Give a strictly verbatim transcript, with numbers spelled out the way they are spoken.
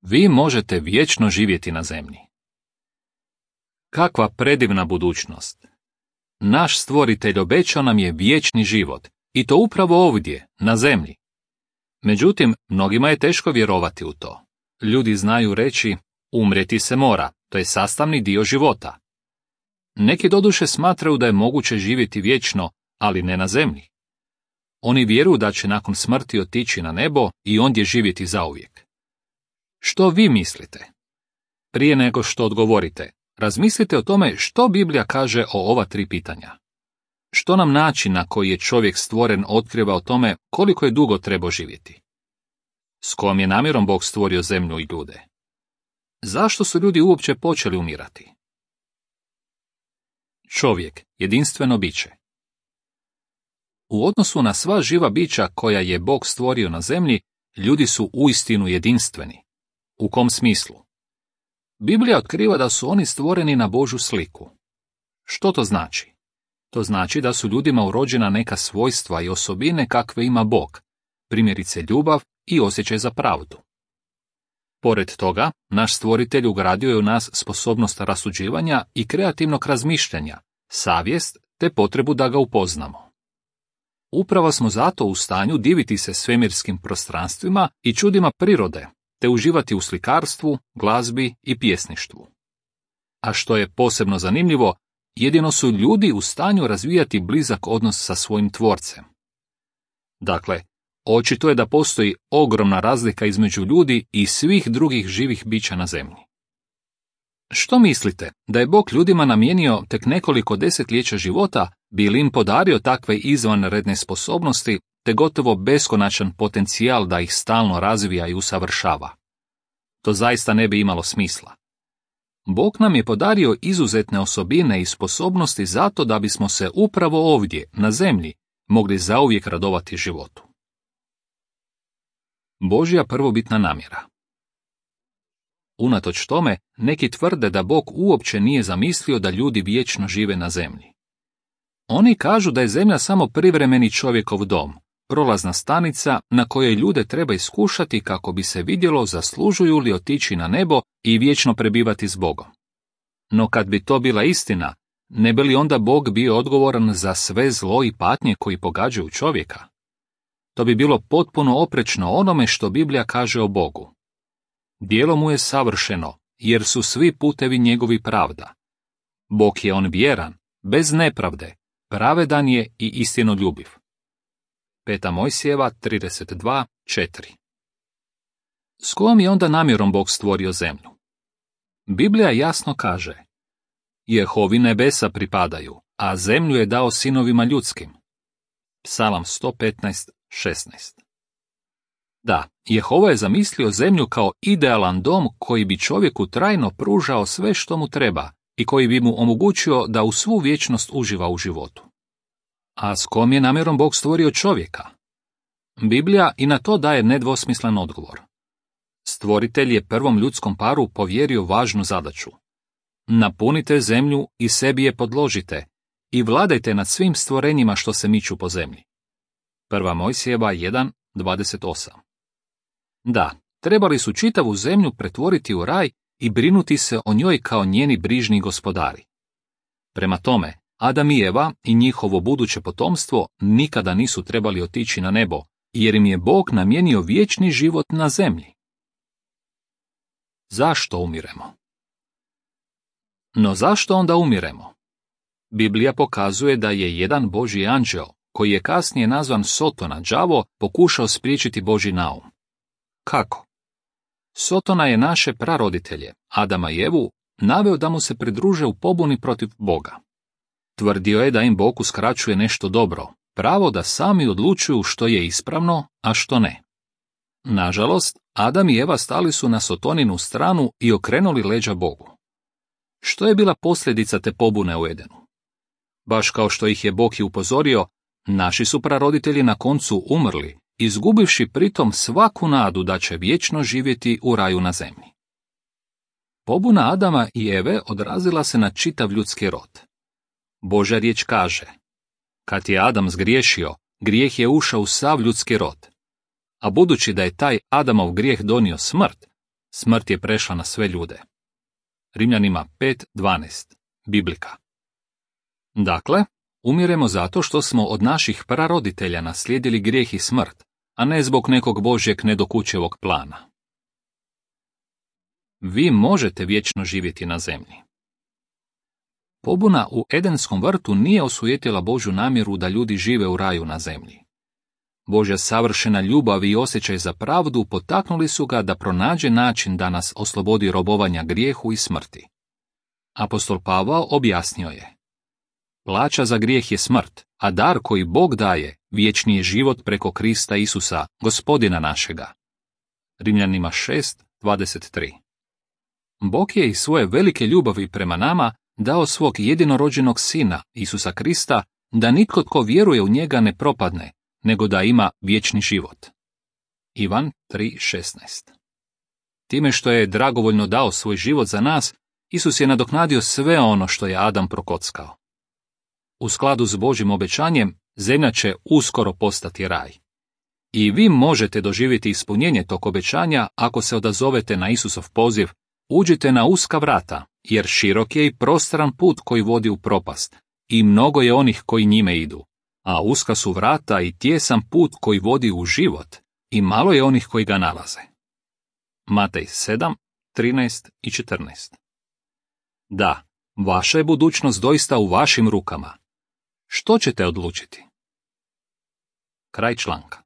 vi možete vječno živjeti na zemlji. Kakva predivna budućnost! Naš stvoritelj obećao nam je vječni život, i to upravo ovdje, na zemlji. Međutim, mnogima je teško vjerovati u to. Ljudi znaju reći, umrijeti se mora, to je sastavni dio života. Neki doduše smatraju da je moguće živjeti vječno, ali ne na zemlji. Oni vjeruju da će nakon smrti otići na nebo i ondje živjeti zauvijek. Što vi mislite? Prije nego što odgovorite, razmislite o tome što Biblija kaže o ova tri pitanja. Što nam način na koji je čovjek stvoren otkriva o tome koliko je dugo trebao živjeti? S kojom je namjerom Bog stvorio zemlju i ljude? Zašto su ljudi uopće počeli umirati? Čovjek, jedinstveno biće. U odnosu na sva živa bića koja je Bog stvorio na zemlji, ljudi su uistinu jedinstveni. U kom smislu? Biblija otkriva da su oni stvoreni na Božju sliku. Što to znači? To znači da su ljudima urođena neka svojstva i osobine kakve ima Bog, primjerice ljubav i osjećaj za pravdu. Pored toga, naš stvoritelj ugradio je u nas sposobnost rasuđivanja i kreativnog razmišljanja, savjest te potrebu da ga upoznamo. Upravo smo zato u stanju diviti se svemirskim prostranstvima i čudima prirode, te uživati u slikarstvu, glazbi i pjesništvu. A što je posebno zanimljivo, jedino su ljudi u stanju razvijati blizak odnos sa svojim tvorcem. Dakle, očito je da postoji ogromna razlika između ljudi i svih drugih živih bića na zemlji. Što mislite, da je Bog ljudima namijenio tek nekoliko desetljeća života, bi li im podario takve izvanredne sposobnosti, te gotovo beskonačan potencijal da ih stalno razvija i usavršava? To zaista ne bi imalo smisla. Bog nam je podario izuzetne osobine i sposobnosti zato da bismo se upravo ovdje, na zemlji, mogli zauvijek radovati životu. Božja prvobitna namjera. Unatoč tome, neki tvrde da Bog uopće nije zamislio da ljudi vječno žive na zemlji. Oni kažu da je zemlja samo privremeni čovjekov dom, prolazna stanica na kojoj ljude treba iskušati kako bi se vidjelo zaslužuju li otići na nebo i vječno prebivati s Bogom. No kad bi to bila istina, ne bi li onda Bog bio odgovoran za sve zlo i patnje koji pogađaju čovjeka? To bi bilo potpuno oprečno onome što Biblija kaže o Bogu. Djelo mu je savršeno, jer su svi putevi njegovi pravda. Bog je on vjeran, bez nepravde, pravedan je i istinoljubiv. Peta Mojsijeva trideset dva četiri. S kojom je onda namjerom Bog stvorio zemlju? Biblija jasno kaže: Jehovi nebesa pripadaju, a zemlju je dao sinovima ljudskim. Psalam sto petnaest šesnaest. Da, Jehova je zamislio zemlju kao idealan dom koji bi čovjeku trajno pružao sve što mu treba i koji bi mu omogućio da u svu vječnost uživa u životu. A s kom je namjerom Bog stvorio čovjeka? Biblija i na to daje nedvosmislen odgovor. Stvoritelj je prvom ljudskom paru povjerio važnu zadaću. Napunite zemlju i sebi je podložite i vladajte nad svim stvorenjima što se miču po zemlji. Prva Mojsijeva jedan dvadeset osam. Da, trebali su čitavu zemlju pretvoriti u raj i brinuti se o njoj kao njeni brižni gospodari. Prema tome, Adam i Eva i njihovo buduće potomstvo nikada nisu trebali otići na nebo, jer im je Bog namijenio vječni život na zemlji. Zašto umiremo? No zašto onda umiremo? Biblija pokazuje da je jedan Božji anđeo, koji je kasnije nazvan Sotona, đavo, pokušao spriječiti Božji naum. Kako? Sotona je naše praroditelje, Adama i Evu, naveo da mu se pridruže u pobuni protiv Boga. Tvrdio je da im Bog uskraćuje nešto dobro, pravo da sami odlučuju što je ispravno, a što ne. Nažalost, Adam i Eva stali su na Sotoninu stranu i okrenuli leđa Bogu. Što je bila posljedica te pobune u Edenu? Baš kao što ih je Bog i upozorio, naši su praroditelji na koncu umrli, izgubivši pritom svaku nadu da će vječno živjeti u raju na zemlji. Pobuna Adama i Eve odrazila se na čitav ljudski rod. Božja riječ kaže: kad je Adam zgriješio, grijeh je ušao u sav ljudski rod. A budući da je taj Adamov grijeh donio smrt, Smrt je prešla na sve ljude. Rimljanima pet dvanaest. Biblika. Dakle, umiremo zato što smo od naših praroditelja naslijedili grijeh i smrt, a ne zbog nekog Božjeg nedokučevog plana. Vi možete vječno živjeti na zemlji. Pobuna u Edenskom vrtu nije osujetila Božju namjeru da ljudi žive u raju na zemlji. Božja savršena ljubav i osjećaj za pravdu potaknuli su ga da pronađe način da nas oslobodi robovanja grijehu i smrti. Apostol Pavao objasnio je: plaća za grijeh je smrt, a dar koji Bog daje vječni je život preko Krista Isusa, Gospodina našega. Rimljanima šest dvadeset tri. Bog je iz svoje velike ljubavi prema nama dao svog jedinorođenog sina, Isusa Krista, da nitko tko vjeruje u njega ne propadne, nego da ima vječni život. Ivan tri šesnaest. Time što je dragovoljno dao svoj život za nas, Isus je nadoknadio sve ono što je Adam prokockao. U skladu s Božjim obećanjem, zemlja će uskoro postati raj. I vi možete doživjeti ispunjenje tog obećanja ako se odazovete na Isusov poziv: uđite na uska vrata, jer širok je i prostran put koji vodi u propast, i mnogo je onih koji njime idu, a uska su vrata i tijesan put koji vodi u život, i malo je onih koji ga nalaze. Matej sedam trinaest i četrnaest. Da, vaša je budućnost doista u vašim rukama. Što ćete odlučiti? Kraj članka.